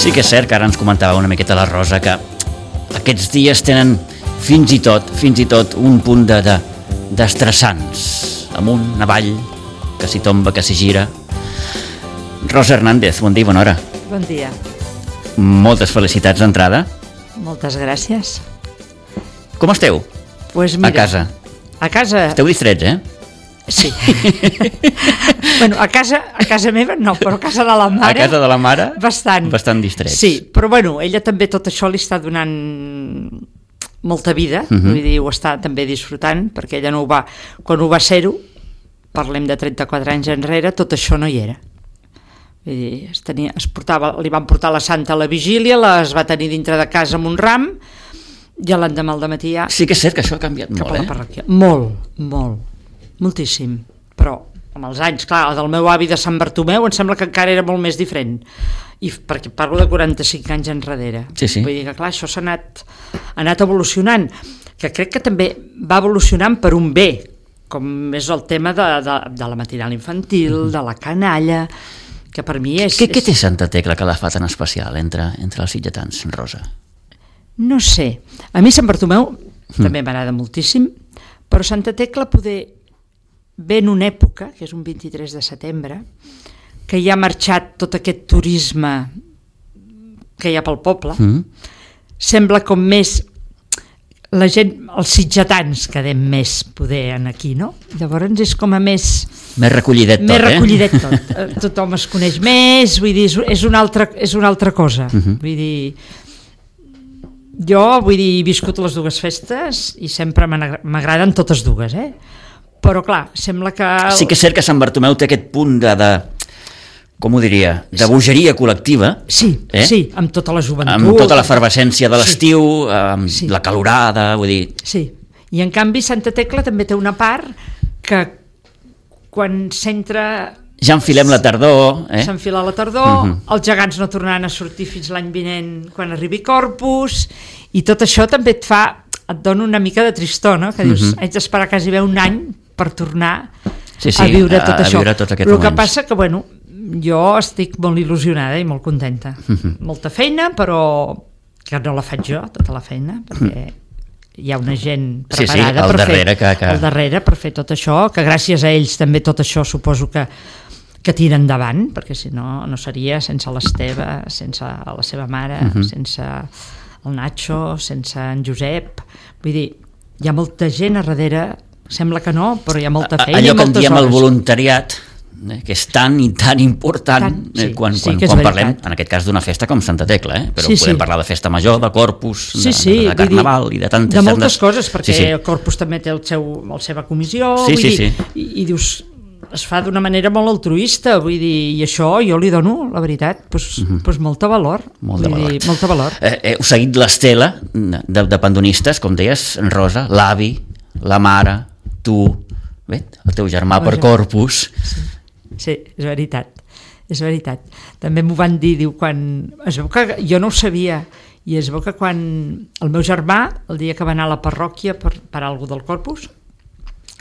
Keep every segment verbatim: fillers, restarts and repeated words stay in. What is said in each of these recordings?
Sí que és cert que ara ens comentava una miqueta la Rosa que aquests dies tenen fins i tot, fins i tot un punt de, de, d'estressants, amunt, avall, que s'hi tomba, que s'hi gira. Rosa Hernández, bon dia, bona hora. Bon dia. Moltes felicitats d'entrada. Moltes gràcies. Com esteu? Pues mira, a casa. A casa... Esteu distrets, eh? Sí. Bueno, a casa, a casa meva no, però a casa de la mare... A casa de la mare? Bastant. Bastant distrets. Sí, però bueno, ella també tot això li està donant molta vida, uh-huh. Vull dir, ho està també disfrutant, perquè ella no ho va... Quan ho va ser-ho, parlem de trenta-quatre anys enrere, tot això no hi era. Vull dir, es tenia, es portava, li van portar la Santa a la vigília, les va tenir dintre de casa amb un ram, i l'endemà al dematí ja... Sí que és cert que això ha canviat molt, eh? Parròquia. Molt, molt, moltíssim. Però amb els anys, clar, el del meu avi de Sant Bartomeu em sembla que encara era molt més diferent. I perquè parlo de quaranta-cinc anys enrere. Sí, sí. Vull dir que, clar, això s'ha anat, ha anat evolucionant, que crec que també va evolucionant per un bé, com és el tema de, de, de la matinal infantil, mm-hmm. de la canalla, que per mi és... Què, què és... té Santa Tecla que la fa tan especial entre, entre els sitgetans, Rosa? No sé. A mi Sant Bartomeu mm. també m'agrada moltíssim, però Santa Tecla poder ve en una època, que és un vint-i-tres de setembre, que hi ha marxat tot aquest turisme que hi ha pel poble, mm. sembla com més la gent, els sitgetans quedem més poder en aquí, no? Llavors és com a més... Més recollidet tot, més eh? Més recollidet tot. Tothom es coneix més, vull dir, és una altra, és una altra cosa. Mm-hmm. Vull dir, jo, vull dir, he viscut les dues festes i sempre m'agraden totes dues, eh? Però clar, sembla que... Sí que és cert que Sant Bartomeu té aquest punt de... de com ho diria, de bogeria col·lectiva. Sí, eh? Sí, amb tota la joventut. Amb tota l'efervescència de l'estiu, sí. Amb sí. La calorada, vull dir... Sí, i en canvi Santa Tecla també té una part que quan s'entra... Ja enfilem la tardor. Eh? S'enfila la tardor, uh-huh. Els gegants no tornaran a sortir fins l'any vinent quan arribi Corpus, i tot això també et fa, et dona una mica de tristor, no? Que dius, uh-huh. haig d'esperar quasi bé un any per tornar sí, sí, a viure tot a, això. A viure tot aquest El moments. que passa que, bueno, jo estic molt il·lusionada i molt contenta. Uh-huh. Molta feina, però que no la faig jo, tota la feina, perquè uh-huh. hi ha una gent preparada sí, sí, per darrere, fer que, que... al darrere per fer tot això, que gràcies a ells també tot això suposo que que tira endavant, perquè si no, no seria sense l'Esteve, sense la seva mare, uh-huh. sense el Nacho, sense en Josep. Vull dir, hi ha molta gent a darrere, sembla que no, però hi ha molta feina i moltes hores. Allò que en diem el voluntariat, eh, que és tan i tan important tant, sí, eh, quan, quan, sí, quan parlem, en aquest cas, d'una festa com Santa Tecla, eh? Però sí, podem sí. parlar de festa major, de Corpus, sí, de, sí, de, de Carnaval dir, i de tantes... De moltes coses, perquè sí, sí. el Corpus també té el seu, la seva comissió, sí, vull sí, dir, sí. I, i dius... es fa d'una manera molt altruista, vull dir, i això jo li dono, la veritat, pues, uh-huh. pues molta valor. Molt de valor. Dir, molta valor. Eh, heu seguit l'estela de, de pandonistes, com deies, Rosa, l'avi, la mare, tu, bé, el teu germà el per germà. Corpus. Sí. sí, és veritat, és veritat. També m'ho van dir, diu, quan... Es veu que jo no ho sabia, i es veu que quan el meu germà, el dia que va anar a la parròquia per, per algú del Corpus,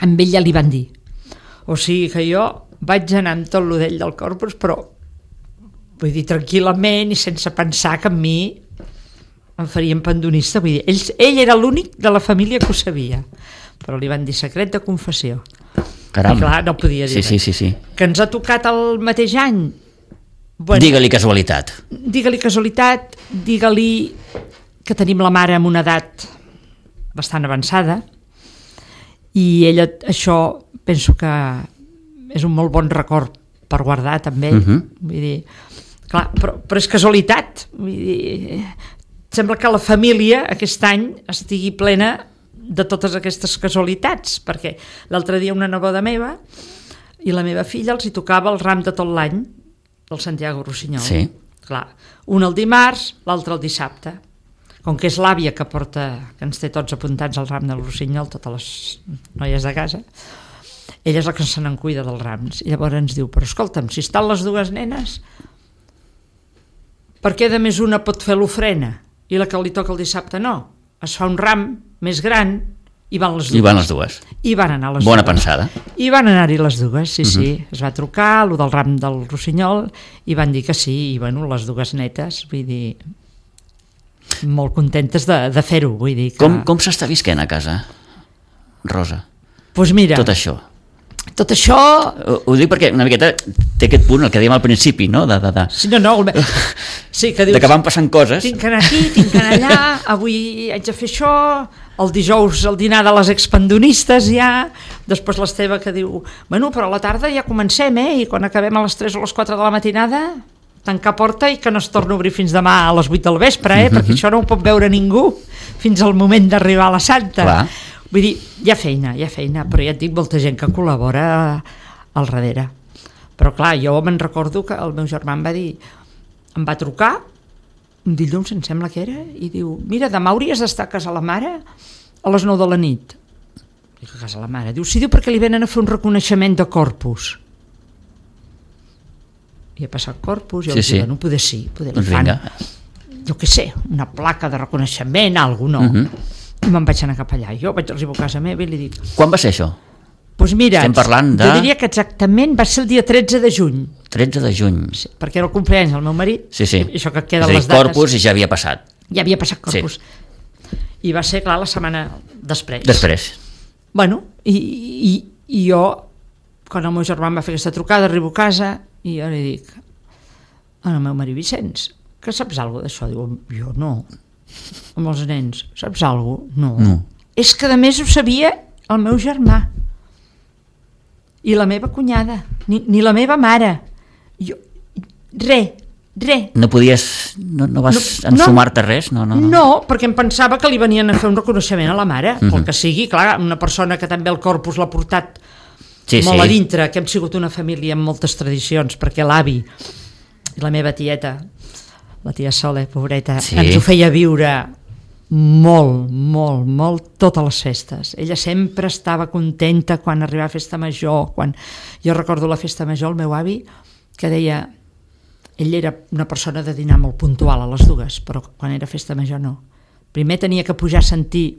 amb ell ja li van dir. O sigui que jo vaig anar amb tot l'udell del Corpus, però vull dir, tranquil·lament i sense pensar que a mi em farien pandonista. Vull dir, ell, ell era l'únic de la família que ho sabia, però li van dir secret de confessió. Caram. I clar, no podia dir sí, sí, sí, sí. Que ens ha tocat el mateix any. Bueno, digue-li casualitat. Digue-li casualitat, digue-li que tenim la mare amb una edat bastant avançada, i ella, això penso que és un molt bon record per guardar també, uh-huh. vull dir, clar, però, però és casualitat, vull dir, sembla que la família aquest any estigui plena de totes aquestes casualitats, perquè l'altre dia una neboda meva i la meva filla els hi tocava el ram de tot l'any del Santiago Rossinyol, sí. Clar, un el dimarts, l'altre el dissabte. Com que és l'àvia que porta, que ens té tots apuntats al ram del Rossinyol, totes les noies de casa, ella és la que se n'en cuida dels rams. I llavors ens diu, però escolta'm, si estan les dues nenes, per què de més una pot fer l'ofrena i la que li toca el dissabte no? Es fa un ram més gran I van les dues. I van les dues. I van anar les Bona dues. pensada. I van anar-hi les dues, sí, sí. Uh-huh. Es va trucar, lo del ram del Rossinyol, i van dir que sí, i bueno, les dues netes, vull dir, molt contentes de, de fer-ho, vull dir que... Com, com s'està visquent a casa, Rosa? Doncs pues mira, Tot això. tot això... Ho, ho dic perquè una miqueta té aquest punt, el que dèiem al principi, no? De, de, de, Sí, no, no, el... sí, que dius, de que van passant coses. tinc que anar aquí, tinc que anar allà, avui haig de fer això, el dijous el dinar de les expandonistes ja, després l'Esteve que diu, bueno, però a la tarda ja comencem, eh, i quan acabem a les tres o les quatre de la matinada, tancar porta i que no es torni a obrir fins demà a les vuit del vespre, eh, perquè això no ho pot veure ningú fins al moment d'arribar a la Santa. Clar. Vull dir, hi ha feina, hi ha feina, però ja et dic, molta gent que col·labora al darrere. Però clar, jo me'n recordo que el meu germà em va dir, em va trucar, un dilluns em sembla que era, i diu, mira, demà hauries d'estar a casa la mare a les nou de la nit. Dic, a casa la mare? Diu, sí, diu, perquè li venen a fer un reconeixement de corpus. I he passat corpus, i Sí, sí, sí. dic, no poder sí, poder Doncs li fan, vinga. jo què sé, una placa de reconeixement, alguna no. Mhm. I me'n vaig anar cap allà. Jo vaig arribar a casa meva i li dic, Quan va ser això? doncs mira, Estem parlant de- jo diria que exactament va ser el dia tretze de juny, tretze de juny. sí, perquè era el compleanys del meu marit, Sí, sí. i això que És queden a dir, les dates, Corpus i ja havia passat. ja havia passat corpus. Sí. I va ser, clar, la setmana després. Després. Bueno, i, i, i jo, quan el meu germà em va fer aquesta trucada, arribo a casa i jo li dic al meu marit, Vicenç, que saps alguna d'això? Diu, jo no. Amb els nens, saps alguna? No. No. És que a més ho sabia el meu germà i la meva cunyada, ni, ni la meva mare. Jo, re, re. No podies... No, no vas No, ensumar-te res? No, no, no. No, perquè em pensava que li venien a fer un reconeixement a la mare, Mhm. pel que sigui, clar, una persona que també el corpus l'ha portat Sí, molt sí. a dintre, que hem sigut una família amb moltes tradicions, perquè l'avi i la meva tieta, la tia Sole, pobreta, Sí. ens ho feia viure molt, molt, molt totes les festes. Ella sempre estava contenta quan arribava a festa major, quan jo recordo la festa major, el meu avi, que deia, ell era una persona de dinar molt puntual a les dues, però quan era festa major no. Primer tenia que pujar a sentir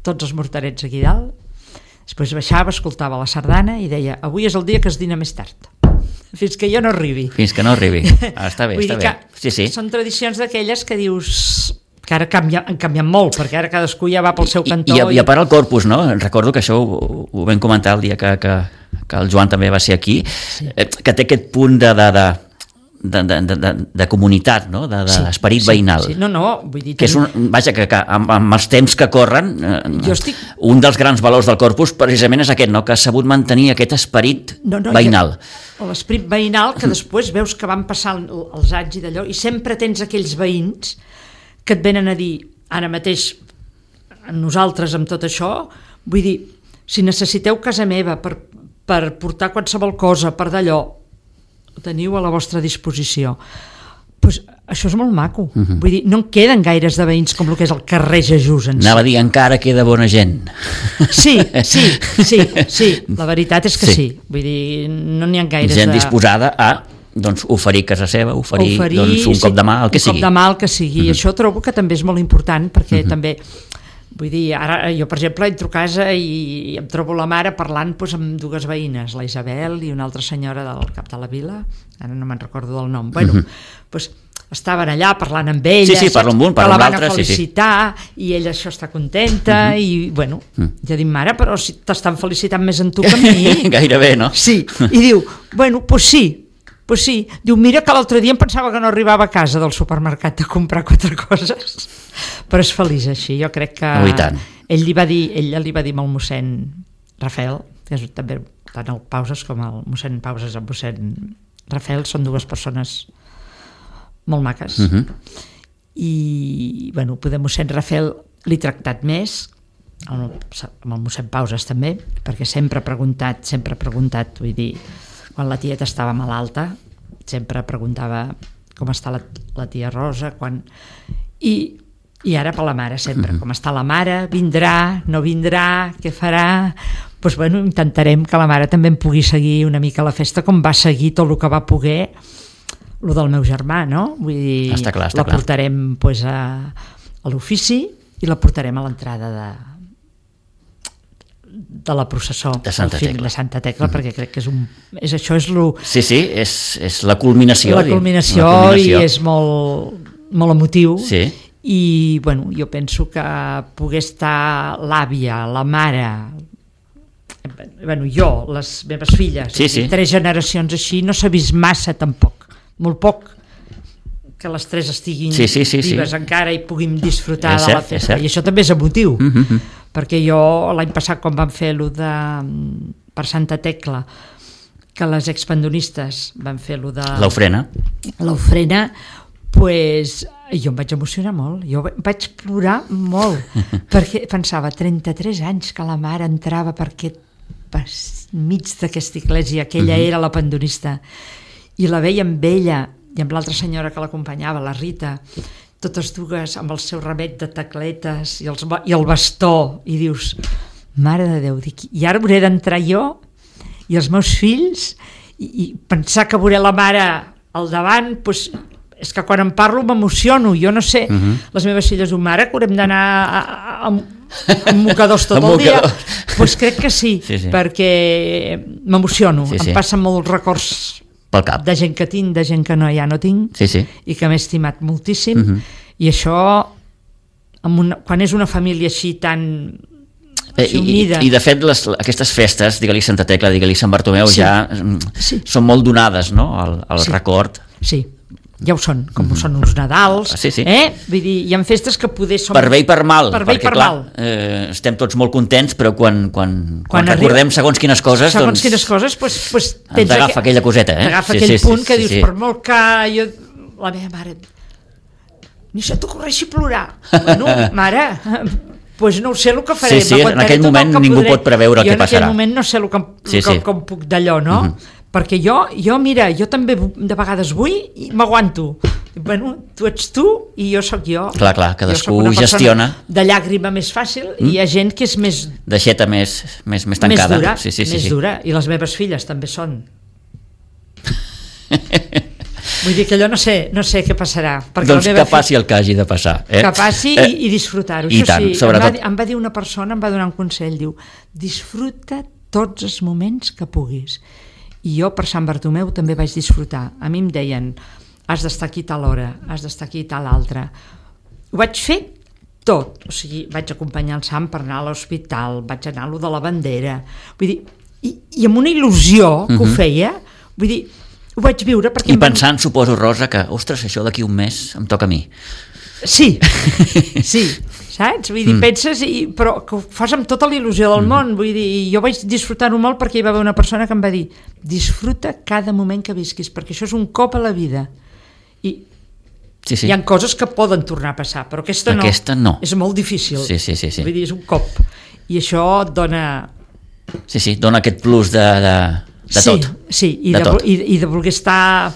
tots els morterets aquí dalt, després baixava, escoltava la sardana i deia, avui és el dia que es dina més tard, fins que jo no arribi. Fins que no arribi. Ah, està bé, Vull està dir bé. que Sí, sí. són tradicions d'aquelles que dius que ara canvia, han canviat molt, perquè ara cadascú ja va pel seu cantó. I, i, I a part el Corpus, no? Recordo que això ho, ho vam comentar el dia que, que, que el Joan també va ser aquí, sí. eh, que té aquest punt de, de, de, de, de, de, de, de comunitat, no? De, de Sí, l'esperit sí, veïnal. Sí. No, no, vull dir... Que és un, vaja, que, que amb, amb els temps que corren, eh, Jo estic- un dels grans valors del Corpus precisament és aquest, no? Que ha sabut mantenir aquest esperit no, no, veïnal. Jo, l'esperit veïnal, que després veus que van passant els anys i d'allò, i sempre tens aquells veïns que et venen a dir, ara mateix, nosaltres amb tot això, vull dir, si necessiteu casa meva per, per portar qualsevol cosa, per d'allò, ho teniu a la vostra disposició. Pues això és molt maco. Uh-huh. Vull dir, no en queden gaires de veïns com el que és el carrer Jesús en si. Anava a dir, encara queda bona gent. Sí, sí, sí, sí, la veritat és que sí. Sí. Vull dir, no n'hi ha gaires Gent de... disposada a doncs, oferir casa seva, oferir, oferir doncs, un sí, cop de mà, el que un sigui. cop de mà, el que sigui. Mhm. Això trobo que també és molt important, perquè Mhm. també, vull dir, ara jo, per exemple, entro a casa i em trobo la mare parlant doncs, amb dues veïnes, la Isabel i una altra senyora del cap de la vila, ara no me'n recordo del nom. Bueno, Mhm. doncs estaven allà parlant amb ella, Sí, sí, parla amb un, que parla la amb van a l'altre, sí, sí. felicitar, i ella això està contenta, Mhm. i bueno, Mhm. ja dic, mare, però si t'estan felicitant més en tu que a mi. Gairebé, no? Sí, i diu, bueno, doncs sí, pues sí, diu, mira que l'altre dia em pensava que no arribava a casa del supermercat a comprar quatre coses, però és feliç així, jo crec que Oh, i tant. ell li va dir, ella li va dir al mossèn Rafael, que és també tant el Pauses com el mossèn Pauses i el mossèn Rafael són dues persones molt maques, Mhm. i bueno, poder mossèn Rafael l'he tractat més, amb el, amb el mossèn Pauses també, perquè sempre ha preguntat, sempre ha preguntat, vull dir, quan la tieta estava malalta, sempre preguntava com està la, la tia Rosa, quan... I, i ara per la mare sempre, Mhm. com està la mare, vindrà, no vindrà, què farà... Doncs bueno, intentarem que la mare també em pugui seguir una mica la festa com va seguir tot el que va poder el del meu germà, no? Vull dir, Està clar, està la clar. portarem pues, a, a l'ofici i la portarem a l'entrada de, de la processó de Santa film, Tecla, de Santa Tecla, mm. perquè crec que és un, és, això és, lo, sí, sí, és, és la culminació, la culminació, la culminació. I és molt, molt emotiu, sí. I bueno, jo penso que poder estar l'àvia, la mare, bueno, jo, les meves filles, sí, sí. tres generacions així, no s'ha vist massa tampoc, molt poc, que les tres estiguin sí, sí, sí, vives sí. encara i puguem disfrutar és de la cert, festa. I això també és emotiu, mm -hmm. perquè jo l'any passat quan vam fer lo de per Santa Tecla, que les expandonistes van fer lo de l'ofrena, l'ofrena, pues, jo em vaig emocionar molt, jo vaig plorar molt, perquè pensava, trenta-tres anys que la mare entrava per aquest per mig d'aquesta església, que ella mm-hmm. era la pandonista, i la veia amb ella i amb l'altra senyora que l'acompanyava, la Rita, totes dues amb el seu ramet de tacletes i, els, i el bastó, i dius, mare de Déu, dic, i ara hauré d'entrar jo i els meus fills i, i pensar que veuré la mare al davant, doncs, és que quan em parlo m'emociono, jo no sé, uh-huh. les meves filles diuen, mare, que haurem d'anar a, a, a, a mocadors tot el dia, doncs pues crec que sí, sí, sí. perquè m'emociono, sí, sí. em passen molts records pel cap. De gent que tinc, de gent que no, ja no tinc, sí, sí. i que m'he estimat moltíssim, uh-huh. i això, amb una, quan és una família així tan així unida... I, i de fet, les, aquestes festes, digue-li Santa Tecla, digue-li Sant Bartomeu, sí. ja sí. són molt donades, no?, al, al sí. record. Sí, ja ho són, com uh-huh. són uns Nadals, sí, sí. eh? Vull dir, hi ha festes que poder són... Per bé i per mal, per bé perquè i per clar, mal. Eh, estem tots molt contents, però quan, quan, quan, quan recordem arriba, segons quines coses, segons doncs... quines coses, pues, pues, ens agafa que, aquella coseta, eh? T'agafa sí, aquell sí, punt sí, que sí, dius, sí. per molt que jo... La meva mare... Ni se t'ocorreixi plorar. Bueno, mare... pues no ho sé el que faré. Sí, sí, en aquell moment ningú pot preveure el que passarà. Jo en aquell moment no sé el que, sí, el que, sí. com puc d'allò, no? Uh-huh. Perquè jo, jo, mira, jo també de vegades vull i m'aguanto. Bueno, tu ets tu i jo sóc jo. Clar, clar, cadascú gestiona. De llàgrima més fàcil mm. i hi ha gent que és més... D'aixeta més, més, més tancada. Més dura, sí, sí, sí, més sí. dura. I les meves filles també són. Vull dir que allò no sé, no sé què passarà. Doncs que passi el que hagi de passar. Eh? Que passi eh? i, i disfrutar-ho. I tant, sí, sobretot. Em va, em va dir una persona, em va donar un consell, diu, disfruta tots els moments que puguis. I jo per Sant Bartomeu també vaig disfrutar. A mi em deien, has d'estar aquí tal hora, has d'estar aquí tal altra. Ho vaig fer tot. O sigui, vaig acompanyar el Sant per anar a l'hospital, vaig anar a lo de la bandera. Vull dir, i, i amb una il·lusió que uh-huh. ho feia, vull dir, ho vaig viure perquè... I pensant, van... suposo, Rosa, que, ostres, això d'aquí un mes em toca a mi. Sí, sí, saps? Vull dir, mm. penses, i, però que ho fas amb tota la il·lusió del mm. món, vull dir, jo vaig disfrutar-ho molt perquè hi va haver una persona que em va dir, disfruta cada moment que visquis, perquè això és un cop a la vida. I sí, sí. hi ha coses que poden tornar a passar, però aquesta no. Aquesta no. És molt difícil. Sí, sí, sí, sí. Vull dir, és un cop. I això et dona... Sí, sí, dona aquest plus de... de... de sí, tot. Sí, i de, de, tot. i, i de voler estar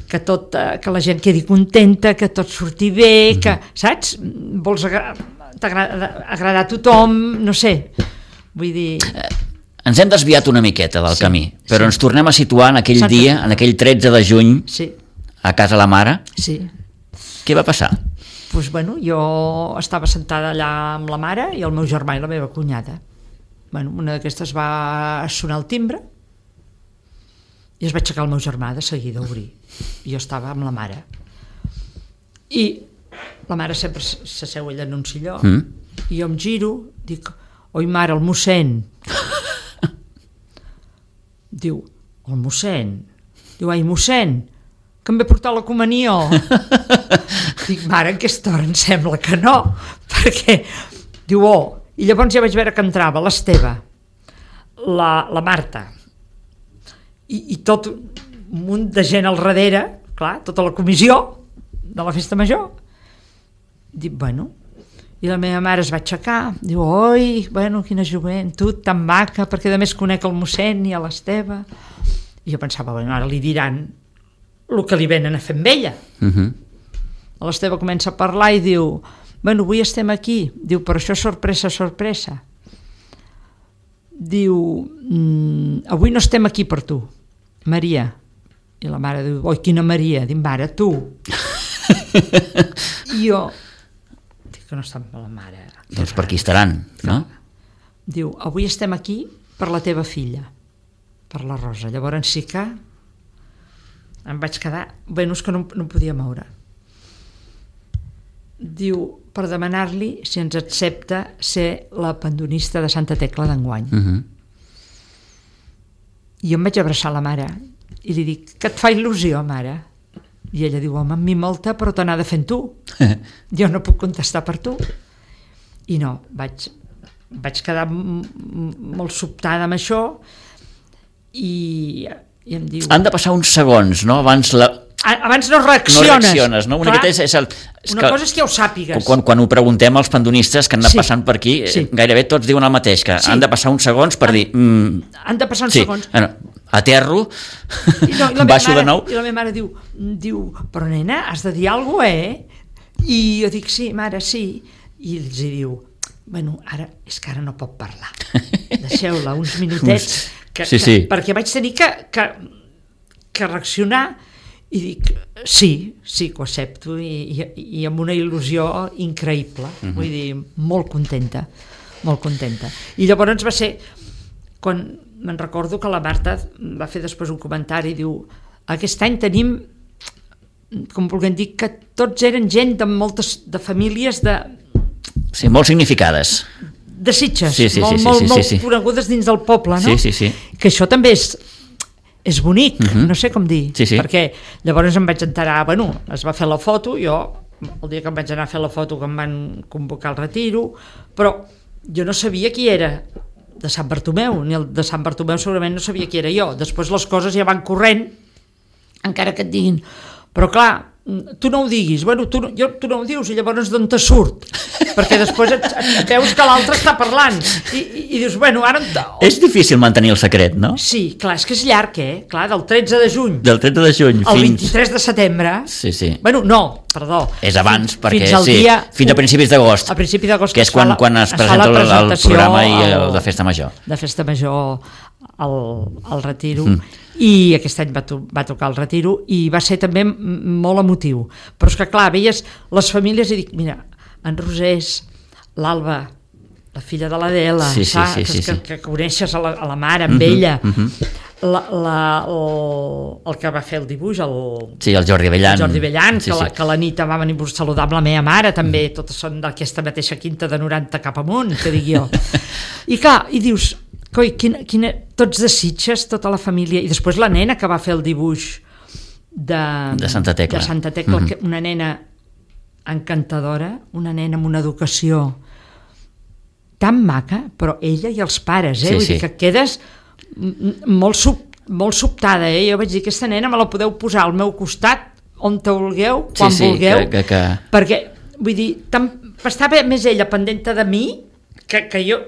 que tot, que la gent quedi contenta, que tot surti bé, mm-hmm. que, saps? Vols agra agradar a tothom, no sé. Vull dir... Eh, ens hem desviat una miqueta del sí, camí, però sí. ens tornem a situar en aquell Exacte. dia, en aquell tretze de juny, sí. a casa la mare. Sí. Què va passar? Pues, bueno, jo estava sentada allà amb la mare i el meu germà i la meva cunyada. Bueno, una d'aquestes va sonar el timbre i es va aixecar el meu germà de seguida a obrir. I jo estava amb la mare. I la mare sempre s'asseu ella en un silló mm. i jo em giro, dic, oi mare, el mossèn. Diu, el mossèn? Diu, ai, mossèn, que em ve portar la comunió. Dic, mare, en aquesta hora em sembla que no, perquè, diu, oh, i llavors ja vaig veure que entrava l'Esteve, la, la Marta, i, i tot un munt de gent al darrere, clar, tota la comissió de la festa major. Dic, bueno, i la meva mare es va aixecar, diu, oi, bueno, quina joventut tan maca, perquè a més conec el mossèn i a l'Esteve. I jo pensava, bueno, ara li diran el que li venen a fer amb ella. Uh-huh. L'Esteve comença a parlar i diu, bueno, avui estem aquí, diu, però això és sorpresa, sorpresa. Diu, mm, avui no estem aquí per tu, Maria. I la mare diu, oi, quina Maria? Dic, mare, tu. I jo dic que no està amb la mare. Doncs per aquí estaran, no? diu, avui estem aquí per la teva filla, per la Rosa. Llavors sí que em vaig quedar, bueno, és que no, no em podia moure. Diu, per demanar-li si ens accepta ser la pandonista de Santa Tecla d'enguany. Uh-huh. I jo em vaig abraçar la mare i li dic, que et fa il·lusió, mare? I ella diu, home, amb mi molta, però te n'ha de fent tu. Jo no puc contestar per tu. I no, vaig, vaig quedar m- m- molt sobtada amb això i, i em diu... Han de passar uns segons, no? Abans la... Abans no reacciones. No reacciones, no? Una, és, és el, és una que, cosa és que ja ho sàpigues. Quan, quan ho preguntem als pandonistes que han de Sí. passant per aquí, Sí. gairebé tots diuen el mateix, que Sí. han de passar uns segons per Han- dir... Mm, Han de passar uns sí, segons. bueno, aterro, I, no, i la meva baixo mare, de nou... I la meva mare diu, diu, però nena, has de dir alguna cosa, eh? I jo dic, sí, mare, sí. I els hi diu, bueno, ara, és que ara no pot parlar. Deixeu-la uns minutets. Que, Sí, sí. Que, perquè vaig tenir que, que, que reaccionar i dic, sí, sí que ho accepto i, i, i amb una il·lusió increïble, uh-huh. Vull dir, molt contenta, molt contenta. I llavors va ser, quan me'n recordo que la Marta va fer després un comentari, diu, aquest any tenim, com vulguem dir, que tots eren gent de moltes, de famílies de, Sí, molt significades. de Sitges, Sí, sí, molt, sí, sí, molt, sí, molt sí, sí. conegudes dins del poble, no? Sí, sí, sí. Que això també és, és bonic, Mhm. no sé com dir, Sí, sí. perquè llavors em vaig enterar, bueno, es va fer la foto, jo, el dia que em vaig anar a fer la foto que em van convocar al retiro, però jo no sabia qui era de Sant Bartomeu, ni el de Sant Bartomeu segurament no sabia qui era jo, després les coses ja van corrent, encara que et diguin, però clar, tu no ho diguis, bueno, tu, no- jo, tu no ho dius i llavors d'on te surt? Perquè després et, et veus que l'altre està parlant i, i, i dius, bueno, ara... On... És difícil mantenir el secret, no? Sí, clar, és que és llarg, eh? Clar, del tretze de juny Del tretze de juny al fins... vint-i-tres de setembre... Sí, sí. Bueno, no, perdó. És abans, Fins- perquè fins al sí, dia fins a principis d'agost, A principi d'agost que és es fa quan, la- quan es es fa la presenta el, el presentació programa i el al- de Festa Major. de Festa Major al, al Retiro, mm. i aquest any va, to va tocar el Retiro i va ser també m- molt emotiu, però és que clar, veies les famílies i dic, mira, en Rosés, l'Alba, la filla de l'Adela, Sí, sí, saps? sí, sí, que, sí. que coneixes a la, a la mare, amb Mhm, ella, mhm. la, la, el, el que va fer el dibuix, el, Sí, el Jordi Bellan. el Jordi Bellan, Sí, que, la, sí. que la nit va venir a saludar amb la meva mare, també, totes són d'aquesta mateixa quinta de noranta cap amunt, que dic jo. I clar, i dius, coi, quina, quina, tots de Sitges, tota la família, i després la nena que va fer el dibuix de, De Santa Tecla. de Santa Tecla, Mhm. que una nena encantadora, una nena amb una educació tan maca, però ella i els pares, eh? Sí, Vull sí. dir que quedes m- molt, sub, molt sobtada, eh? Jo vaig dir, aquesta nena me la podeu posar al meu costat, on te vulgueu, quan sí, sí, vulgueu, que, que, que... perquè, vull dir, tan, estava més ella pendenta de mi que, que jo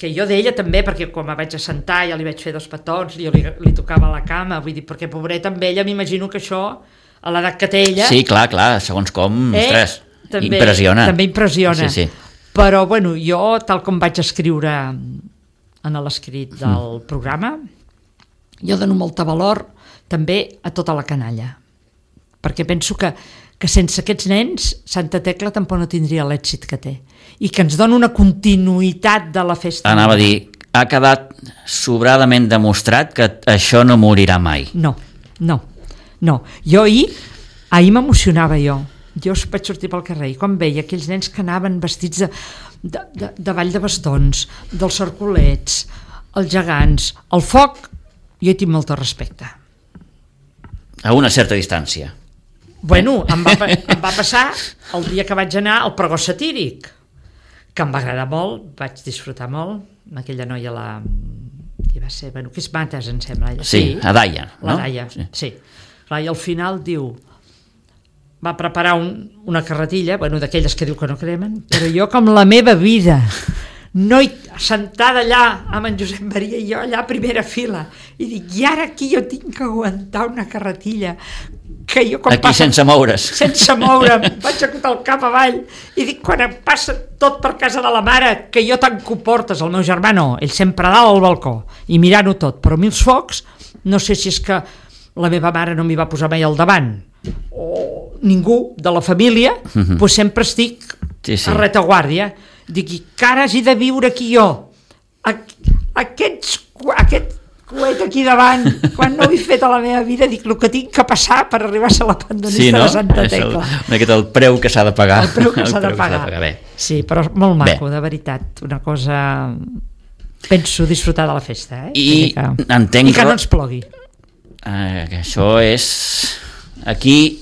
que jo d'ella també, perquè quan me vaig assentar ja li vaig fer dos petons, jo li, li tocava la cama, vull dir, perquè pobreta amb ella m'imagino que això, a l'edat que té ella... Sí, clar, clar, segons com, eh, ostres, també, impressiona. També impressiona. Sí, sí. Però, bueno, jo, tal com vaig escriure en l'escrit del mm. programa, jo dono molta valor també a tota la canalla, perquè penso que, que sense aquests nens Santa Tecla tampoc no tindria l'èxit que té, i que ens dona una continuïtat de la festa. Anava a dir, ha quedat sobradament demostrat que això no morirà mai. No, no, no. Jo ahir, ahir m'emocionava jo. Jo vaig sortir pel carrer i quan veia aquells nens que anaven vestits de, de, de, de ball de bastons, dels cercolets, els gegants, el foc, jo hi tinc molt respecte. A una certa distància. Bueno, em va, em va passar el dia que vaig anar al pregó satíric, que em va agradar molt, vaig disfrutar molt, aquella noia, la... qui va ser? Bueno, que és Mates, em sembla. Ella. Sí, a Daia, La no? Daia, Sí. sí. Clar, i al final diu, va preparar un, una carretilla, bueno, d'aquelles que diu que no cremen, però jo com la meva vida, no hi, sentada allà amb en Josep Maria i jo allà a primera fila, i dic, i ara aquí jo tinc que aguantar una carretilla que jo quan Aquí passa, sense moure's. sense moure'm, vaig acotar el cap avall i dic, quan em passa tot per casa de la mare, que jo tanco portes, el meu germà no, ell sempre a dalt al balcó i mirant-ho tot, però a mi els focs no sé si és que la meva mare no m'hi va posar mai al davant o ningú de la família, Mhm. doncs sempre estic Sí, sí. a retaguardia, dic, i que ara hagi de viure aquí jo aquests, aquest coet aquí davant, quan no ho he fet a la meva vida, dic el que tinc que passar per arribar a ser la pandonista sí, no? de Santa Tecla. Una miqueta el preu que s'ha de pagar. El preu que s'ha de pagar. Bé. Sí, però molt maco, bé. De veritat. Una cosa... Penso disfrutar de la festa, eh? I que... entenc... I que no ens plogui. Uh, que això és... Aquí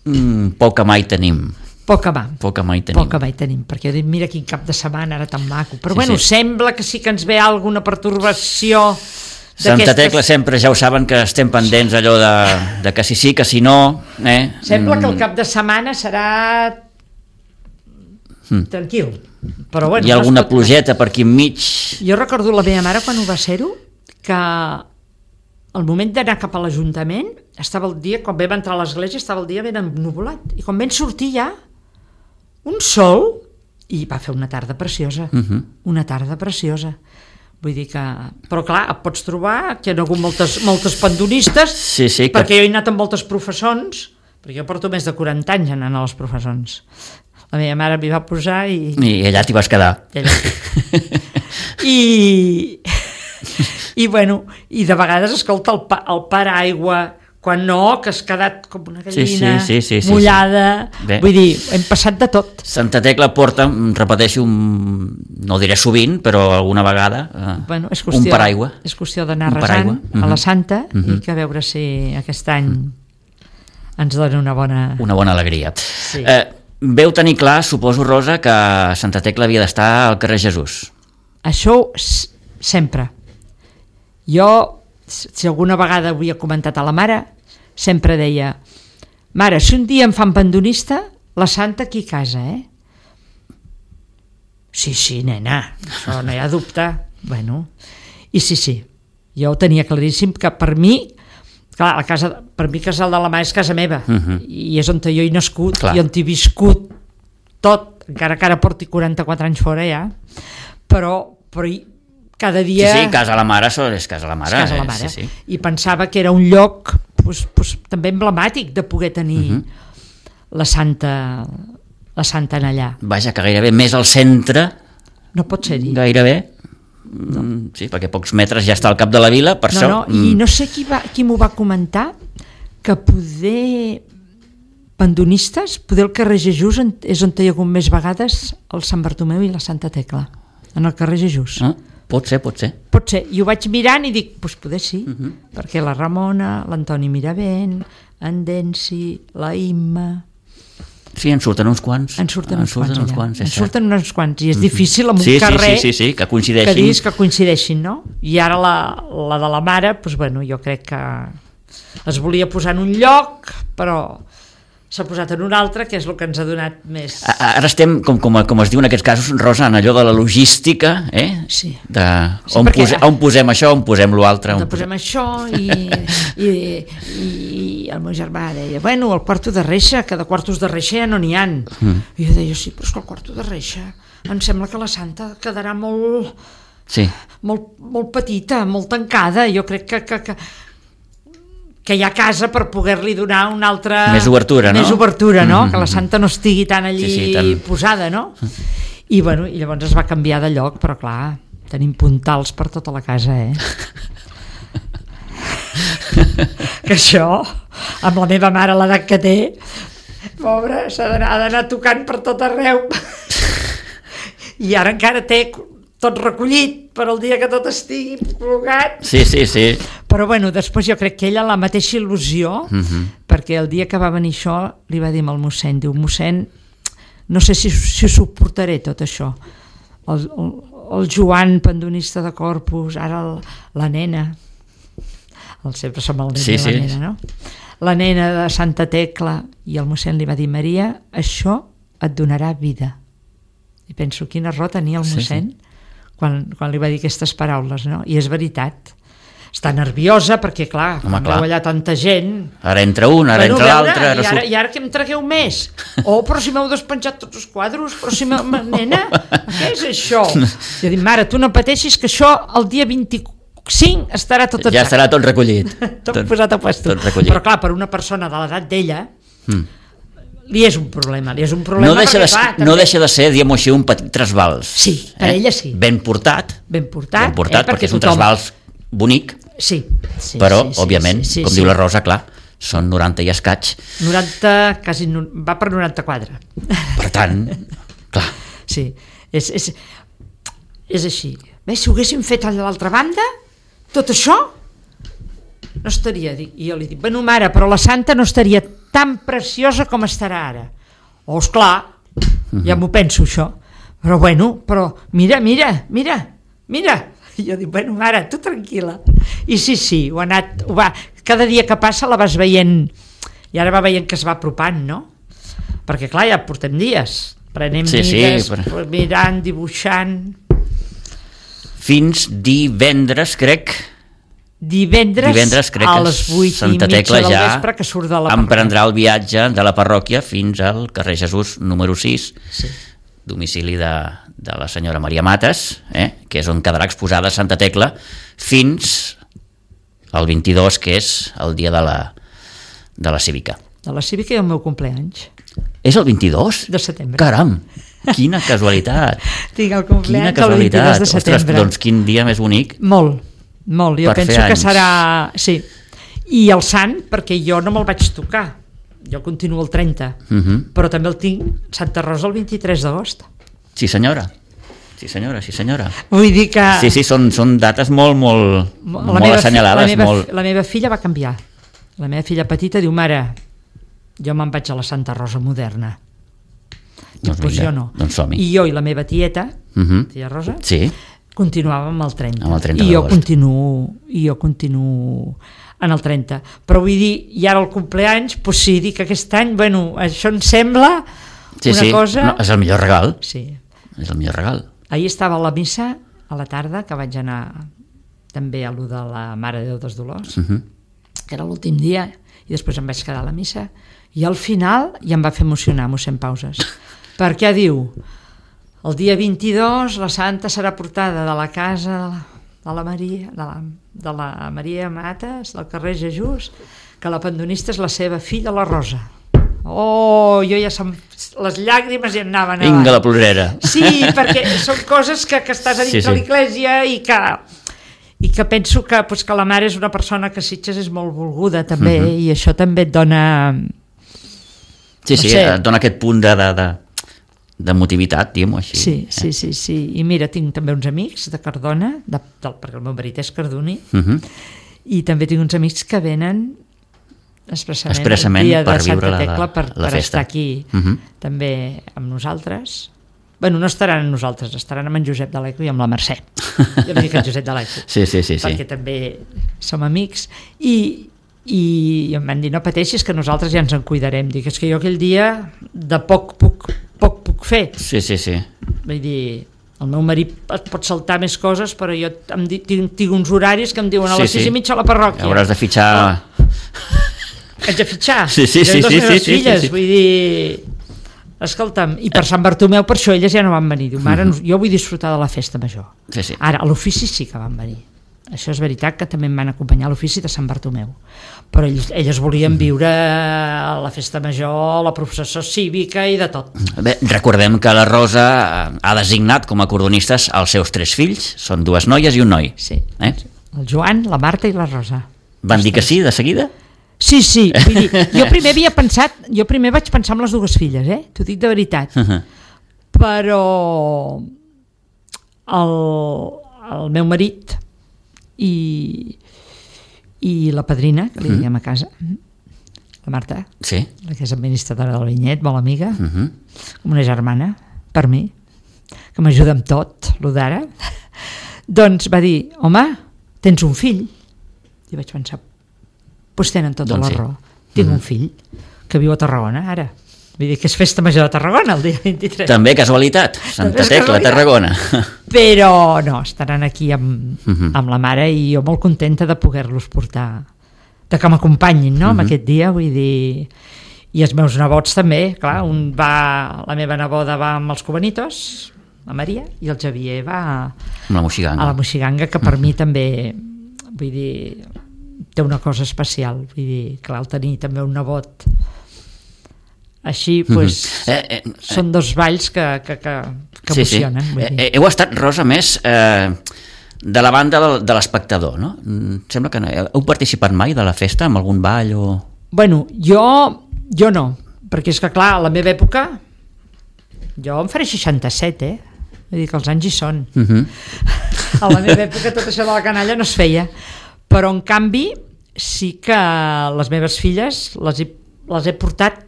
mm, poca mai tenim. Poca mà. Poca mai tenim. Poca mai tenim, perquè dic, mira quin cap de setmana, ara tan maco. Però sí, bueno, sí. Sembla que sí que ens ve alguna pertorbació. Santa Tecla sempre, ja ho saben, que estem pendents allò de, de que si sí, que si no. Eh? Sembla que el cap de setmana serà mm. tranquil. Però bueno, hi ha alguna plogeta per aquí enmig. Jo recordo la meva mare quan ho va ser-ho, que al moment d'anar cap a l'Ajuntament estava el dia, quan vam entrar a l'església estava el dia ben ennuvolat, i quan vam sortir ja un sol, i va fer una tarda preciosa, uh-huh. una tarda preciosa. Vull dir que... Però clar, et pots trobar que hi ha hagut moltes, moltes pandonistes, sí, sí, perquè que... jo he anat amb moltes professons, perquè jo porto més de quaranta anys anant a les professons. La meva mare m'hi va posar i... I allà t'hi vas quedar. I... I bueno, i de vegades escolta el, pa, el paraigua, quan no, que has quedat com una gallina sí, sí, sí, sí, mullada, sí, sí. Vull dir, hem passat de tot. Santa Tecla porta, repeteixo, un, no diré sovint, però alguna vegada, eh, bueno, és qüestió, un paraigua. És qüestió d'anar resant uh-huh. a la Santa uh-huh. i que a veure si aquest any uh-huh. ens dona una bona... Una bona alegria. Sí. Eh, veu tenir clar, suposo, Rosa, que Santa Tecla havia d'estar al carrer Jesús. Això sempre. Jo, si alguna vegada ho havia comentat a la mare, sempre deia, mare, si un dia em fan pandonista, la Santa aquí a casa, eh? Sí, sí, nena, això no hi ha dubte. Bueno, i sí, sí, jo ho tenia claríssim que per mi, clar, la casa, per mi Casal de la Mà és casa meva, uh-huh. i és on jo he nascut, clar. I on he viscut tot, encara que ara porti quaranta-quatre anys fora ja, però, però cada dia... Sí, sí, Casa la Mare, això és Casa la Mare. Casa la Mare. Eh? Sí, sí. I pensava que era un lloc pues, pues, també emblemàtic de poder tenir uh-huh. la Santa la Santa en allà. Vaja, que gairebé més al centre... No pot ser-hi. Gairebé. No. Sí, perquè a pocs metres ja està al cap de la vila, per no, això... No, mm. I no sé qui, va, qui m'ho va comentar, que poder... pandonistes, poder el carrer Jesús és on hi ha hagut més vegades el Sant Bartomeu i la Santa Tecla, en el carrer Jesús. Ah. Pot ser, pot ser. Pot ser. I ho vaig mirant i dic, doncs poder sí, uh-huh. perquè la Ramona, l'Antoni Miravent, en Densi, la Imma... Sí, en surten uns quants. En surten en uns surten quants, uns quants en surten uns quants, i és difícil amb sí, un carrer sí, sí, sí, sí, que coincideixin. Que diguis que coincideixin, no? I ara la, la de la mare, doncs bueno, jo crec que es volia posar en un lloc, però... s'ha posat en un altre, que és el que ens ha donat més... Ara estem, com, com, com es diu en aquests casos, Rosa, en allò de la logística, eh? Sí. De sí, on, pose, on posem això, on posem l'altre. On posem això, i, i, i el meu germà deia, bueno, el quarto de reixa, que de quartos de reixa ja no n'hi ha. Mm. I jo deia, sí, però és que el quarto de reixa em sembla que la Santa quedarà molt... Sí. Molt, molt petita, molt tancada. Jo crec que... que, que que hi ha casa per poder-li donar una altra... Més obertura, no? Més obertura, no? Mm-hmm. Que la Santa no estigui tan allí sí, sí, tan... posada, no? I, bueno, i llavors es va canviar de lloc, però clar, tenim puntals per tota la casa, eh? Que això, amb la meva mare, l'edat que té, pobra, s'ha d'anar tocant per tot arreu. I ara encara té... tot recollit per al dia que tot estigui col·locat. Sí, sí, sí. Però bueno, després jo crec que ella la mateixa il·lusió, uh-huh. perquè el dia que va venir això li va dir al mossèn, diu, mossèn, no sé si, si suportaré tot això. El, el, el Joan, pandonista de Corpus, ara el, la nena, el, sempre som el nen sí, de la sí. nena, no? La nena de Santa Tecla, i el mossèn li va dir, Maria, això et donarà vida. I penso, quina raó tenia el mossèn, sí, sí. Quan, quan li va dir aquestes paraules, no? I és veritat. Està nerviosa perquè, clar, Home, quan clar. veu allà tanta gent... Ara entra un, ara bueno, entra l'altre... I, ara, I ara que em tragueu més? Oh, però si m'heu despenjat tots els quadros, però si m'heu... Nena, què és això? Jo dic, mare, tu no pateixis que això el dia vint-i-cinc estarà tot... Ja estarà tot recollit. tot, tot posat a puesto. Tot recollit. Però clar, per una persona de l'edat d'ella... Mm. li és un problema, li és un problema no deixa, perquè, de, clar, no també... deixa de ser, diguem-ho així, un petit trasbals. Sí, per eh? ella sí. Ben portat, ben portat, ben portat eh? perquè, perquè és un tothom... trasbals bonic, sí, sí, però, sí, sí, òbviament, sí, sí, com sí. diu la Rosa, clar, són noranta i escaig. noranta, quasi, va per noranta-quatre. Per tant, clar. Sí, és, és, és així. Bé, si ho haguéssim fet a l'altra banda, tot això no estaria, dic, i jo li dic, bueno mare, però la santa no estaria tan preciosa com estarà ara. Oh, esclar, uh-huh. ja m'ho penso això, però bueno, però mira, mira, mira, mira, i jo dic, bueno mare, tu tranquil·la. I sí, sí, ho ha anat, ho va, cada dia que passa la vas veient, i ara va veient que es va apropant, no? Perquè clar, ja portem dies, prenem sí, mides, sí, però... mirant, dibuixant... Fins divendres, crec... Divendres, divendres crec a les vuit i mitja del ja vespre que surt de la parròquia. Emprendrà el viatge de la parròquia fins al carrer Jesús número sis, sí. domicili de, de la senyora Maria Mates, eh? que és on quedarà exposada Santa Tecla, fins al vint-i-dos, que és el dia de la, de la Cívica. De la Cívica i el meu compleanys. És el vint-i-dos? De setembre. Caram, quina casualitat. Tinc el compleanys el vint-i-dos de setembre. Ostres, doncs quin dia més bonic. Molt. Molt, jo per penso que serà... Sí. I el sant, perquè jo no me'l vaig tocar, jo continuo el trenta, uh-huh. però també el tinc Santa Rosa el vint-i-tres d'agost. Sí senyora, sí senyora, sí senyora. Vull dir que... Sí, sí, són, són dates molt, molt, molt meva, assenyalades. La meva, molt... la meva filla va canviar. La meva filla petita diu, mare, jo me'n vaig a la Santa Rosa moderna. Diu, doncs, doncs jo no. Doncs som-hi. I jo i la meva tieta, uh-huh. tia Rosa, sí. continuàvem amb el trenta, amb el trenta i jo continuo i jo continuo en el trenta, però vull dir, i ara el compleanys, doncs sí, dic que aquest any, bueno, això em sembla sí, una sí. cosa... No, és el millor regal. Sí. És el millor regal. Ahir estava a la missa, a la tarda, que vaig anar també a lo de la Mare de Déu dels Dolors, uh-huh. que era l'últim dia, i després em vaig quedar a la missa, i al final ja em va fer emocionar mossèn Pauses, perquè diu... El dia vint-i-dos la santa serà portada de la casa de la, de la Maria de la, de la Maria Mates, del carrer Jesús, que la pendonista és la seva filla, la Rosa. Oh, jo ja som... les llàgrimes ja anaven a... Vinga, la plorera. Sí, perquè són coses que, que estàs a dins sí, sí. de l'església i que, i que penso que, pues, que la mare és una persona que Sitges és molt volguda també, uh-huh. i això també et dona... Sí, no sí, sé. Et dona aquest punt de... de, de... de motivitat, diguem-ho així. Sí, sí, sí, sí. I mira, tinc també uns amics de Cardona, de, del, perquè el meu marit és cardoní, uh-huh. i també tinc uns amics que venen expressament, expressament el dia per de Santa la, Tecla per, la per estar aquí uh-huh. també amb nosaltres. Bueno, no estaran amb nosaltres, estaran amb en Josep de l'Eco i amb la Mercè. Jo li dic en Josep de l'Eco. Sí, sí, sí, perquè sí. també som amics. I, i em van dir, no pateixis, que nosaltres ja ens en cuidarem. Dic, és que jo aquell dia de poc puc poc puc fer. Sí, sí, sí. Vull dir, el meu marit et pot saltar més coses, però jo em di, tinc, tinc uns horaris que em diuen a les sí, sis sí. i mitja a la parròquia. Hauràs de fitxar... Oh. Haig de fitxar. Sí, sí, sí. Jo i les sí, meves sí, filles, sí, sí. vull dir... Escolta'm, i per Sant Bartomeu, per això elles ja no van venir. Diu, mare, mm-hmm. jo vull disfrutar de la festa major. Sí, sí. Ara, a l'ofici sí que van venir. Això és veritat que també em van acompanyar a l'ofici de Sant Bartomeu, però ells, elles volien viure la festa major, la processó cívica i de tot. Bé, recordem que la Rosa ha designat com a cordonistes els seus tres fills, són dues noies i un noi. Sí, eh? el Joan, la Marta i la Rosa. Van dir que sí, de seguida? Sí, sí, vull dir, jo primer havia pensat, jo primer vaig pensar en les dues filles, eh? T'ho dic de veritat, uh-huh. però el, el meu marit i, i la padrina, que li diguem a casa, la Marta, sí. la que és administradora del vinyet, molt amiga, uh-huh. com una germana, per mi, que m'ajuda amb tot, lo d'ara, doncs va dir, home, tens un fill? I vaig pensar, doncs tenen tota doncs la raó, sí. tinc uh-huh. un fill que viu a Tarragona, ara. Vull dir que és festa major de Tarragona el dia vint-i-tres. També casualitat, Santa Tecla, Tarragona. Però no, estaran aquí amb, uh-huh. amb la mare i jo molt contenta de poder-los portar, de que m'acompanyin, no?, uh-huh. amb aquest dia, vull dir... I els meus nebots també, clar, un va... La meva neboda va amb els Cubanitos, la Maria, i el Xavier va amb la Moixiganga. A la Moixiganga, que per uh-huh. mi també, vull dir, té una cosa especial. Vull dir, clar, el tenir també un nebot Així, doncs, mm-hmm. eh, eh, són dos balls que, que, que, que sí, emocionen. Sí. Vull dir. Eh, heu estat, Rosa, més eh, de la banda de, de l'espectador, no? Sembla que no. Heu participat mai de la festa, amb algun ball o...? Bueno, jo, jo no, perquè és que, clar, a la meva època, jo em faré seixanta-set, eh? Vull dir que els anys hi són. Uh-huh. A la meva època tot això de la canalla no es feia. Però, en canvi, sí que les meves filles les he, les he portat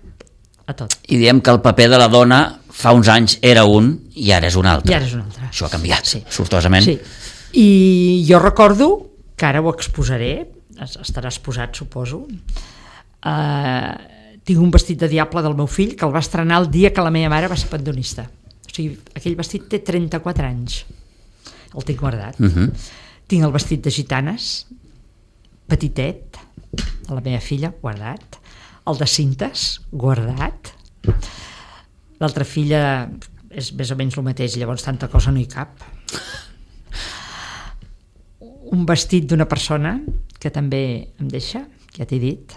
a tot. I diem que el paper de la dona fa uns anys era un i ara és un altre. I ara és un altre. Això ha canviat, sí. sortosament. Sí. I jo recordo, que ara ho exposaré, estarà exposat, suposo, eh, tinc un vestit de diable del meu fill que el va estrenar el dia que la meva mare va ser pandonista. O sigui, aquell vestit té trenta-quatre anys. El tinc guardat. Uh-huh. Tinc el vestit de gitanes, petitet, de la meva filla, guardat. El de cintes, guardat. L'altra filla és més o menys el mateix, llavors tanta cosa no hi cap. Un vestit d'una persona que també em deixa, ja t'he dit,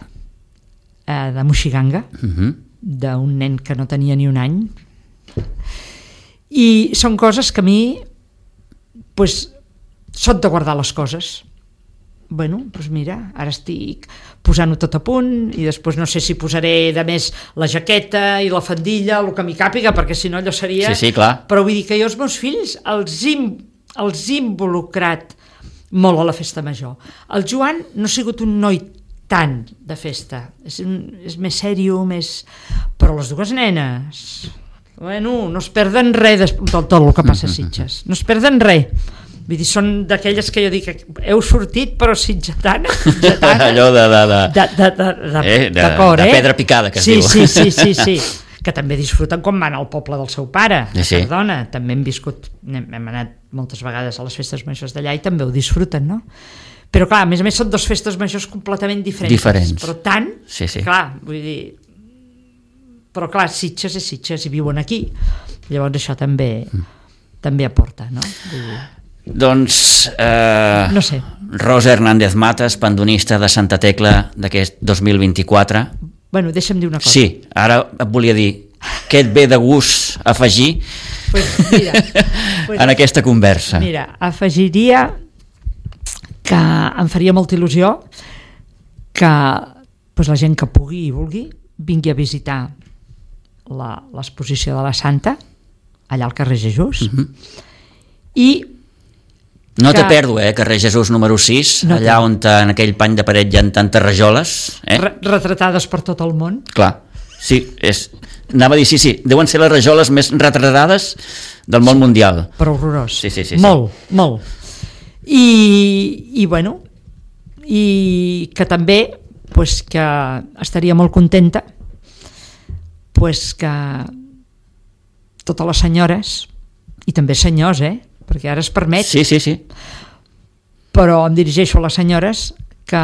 eh, de moixiganga, uh-huh. d'un nen que no tenia ni un any. I són coses que a mi pues, són de guardar les coses. Bueno, doncs mira, ara estic posant-ho tot a punt i després no sé si posaré de més la jaqueta i la faldilla, el que m'hi càpiga, perquè si no allò seria... Sí, sí, clar. Però vull dir que jo els meus fills els he, els he involucrat molt a la festa major. El Joan no ha sigut un noi tant de festa, és, un, és més sèrio, més... però les dues nenes... Bueno, no es perden res de tot, tot el que passa a Sitges, no es perden res. Vull dir, són d'aquelles que jo dic heu sortit però sitgetana, sitgetana allò de de, de, de, de, de, de, eh, de, de, cor, de eh? pedra picada que es sí, diu sí, sí, sí, sí, que també disfruten quan van al poble del seu pare, sí, sí. Perdona, també hem viscut, hem, hem anat moltes vegades a les festes majors d'allà i també ho disfruten, no? Però clar, a més a més són dues festes majors completament diferents, diferents. Però tant, sí, sí. Clar, vull dir, però clar, Sitges és Sitges i viuen aquí, llavors això també mm. també aporta, no? Vull dir... Doncs eh, no sé. Rosa Hernández Matas, pandonista de Santa Tecla d'aquest dos mil vint-i-quatre. Bueno, deixa'm dir una cosa. Sí, ara et volia dir què et ve de gust afegir pues mira, pues, en aquesta conversa. Mira, afegiria que em faria molta il·lusió que pues, la gent que pugui i vulgui vingui a visitar l'exposició de la Santa allà al carrer Jesús uh-huh. i no que... té pèrdua, eh? Carrer Jesús número sis, no allà té. On en aquell pany de paret hi ha tantes rajoles eh? Re retratades per tot el món. Clar, sí, és... anava a dir sí, sí, deuen ser les rajoles més retratades del món mundial. Però horrorós, sí, sí, sí, molt, sí. molt i, i bueno i que també pues, que estaria molt contenta pues que totes les senyores i també senyors, eh? Perquè ara es permet, sí, sí, sí. Però em dirigeixo a les senyores que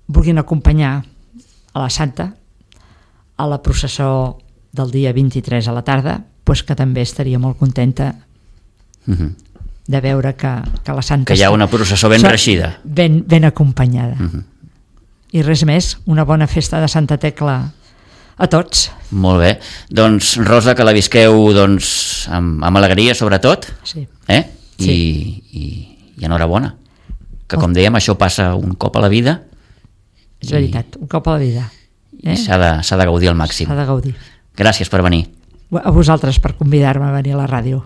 vulguin acompanyar a la Santa a la processó del dia vint-i-tres a la tarda, pues que també estaria molt contenta uh-huh. de veure que, que la Santa que hi ha una processó ben reixida, ben, ben acompanyada uh-huh. I res més, una bona festa de Santa Tecla a tots. Molt bé, doncs Rosa, que la visqueu doncs, amb, amb alegria sobretot, sí. Eh? I, sí. i, i enhorabona, que com dèiem això passa un cop a la vida, és veritat, un cop a la vida, eh? I s'ha de, s'ha de gaudir al màxim. S'ha de gaudir. Gràcies per venir. A vosaltres per convidar-me a venir a la ràdio.